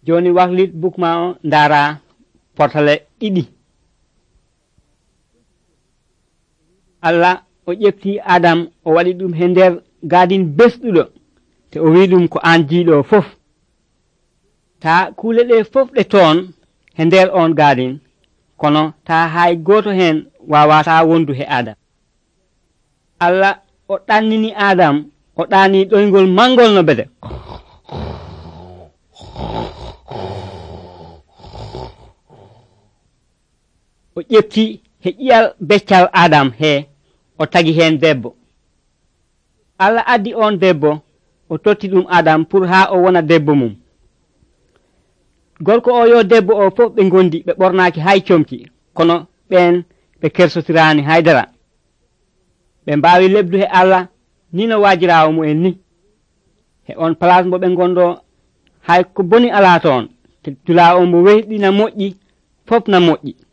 joni wahlit book ma o ndara portale ɗiɗi. Allah o ƴefti Adam o waɗi ɗum he nder gadin besɗuɗo te o wi ɗum ko an jiiɗo fof ta kuule ɗe fof ɗe toon he nder on gadin kono ta hay goto hen wawata wondu he Adam. Allah o ɗannini Adam o ɗani ɗoygol mangol no bede o ƴefti he ƴiyal beccal Adam he o tagi hen debbo. Allah addi on debbo o totti ɗum Adam pour ha o wona debbo mum. Gorko o yo debbo o fof ɓe gondi ɓe ɓornaki hay comci kono ɓen ɓe kersotirani haydara ɓe mbawi lebdu he Allah ni no wajirawo mu'en ni he on place mo ɓe gondo hay ko boni ala toon te dula o mo wehɗina moƴƴi fof na moƴƴi.